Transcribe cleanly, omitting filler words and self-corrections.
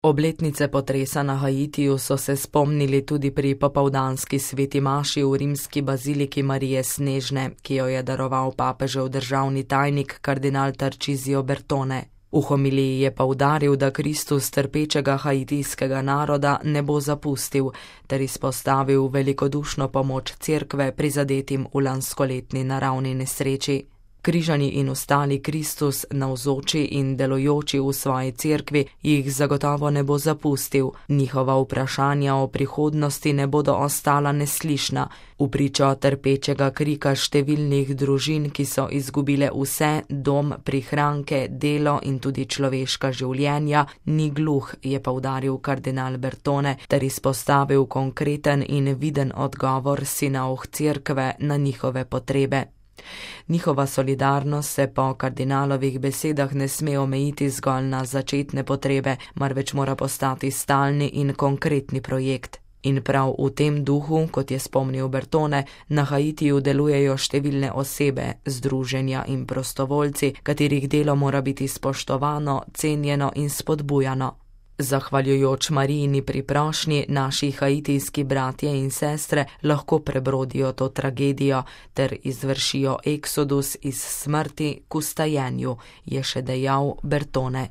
Obletnice potresa na Haitiju so se spomnili tudi pri popoldanski sveti maši v rimski baziliki Marije Snežne, ki jo je daroval papežev državni tajnik kardinal Tarcisio Bertone. V homiliji je poudaril, da Kristus trpečega haitijskega naroda ne bo zapustil, ter izpostavil velikodušno pomoč cerkve prizadetim v lanskoletni naravni nesreči. Križani in ostali Kristus, navzoči in delujoči v svoji cerkvi, jih zagotovo ne bo zapustil. Njihova vprašanja o prihodnosti ne bodo ostala neslišna. V pričo trpečega krika številnih družin, ki so izgubile vse, dom, prihranke, delo in tudi človeška življenja, ni gluh, je poudaril kardinal Bertone, ter izpostavil konkreten in viden odgovor sinov cerkve na njihove potrebe. Njihova solidarnost se po kardinalovih besedah ne sme omejiti zgolj na začetne potrebe, marveč mora postati stalni in konkretni projekt. In prav v tem duhu, kot je spomnil Bertone, na Haitiju delujejo številne osebe, združenja in prostovoljci, katerih delo mora biti spoštovano, cenjeno in spodbujano. Zahvaljujoč Marijini priprošnji naši haitijski bratje in sestre lahko prebrodijo to tragedijo ter izvršijo eksodus iz smrti k vstajenju, je še dejal Bertone.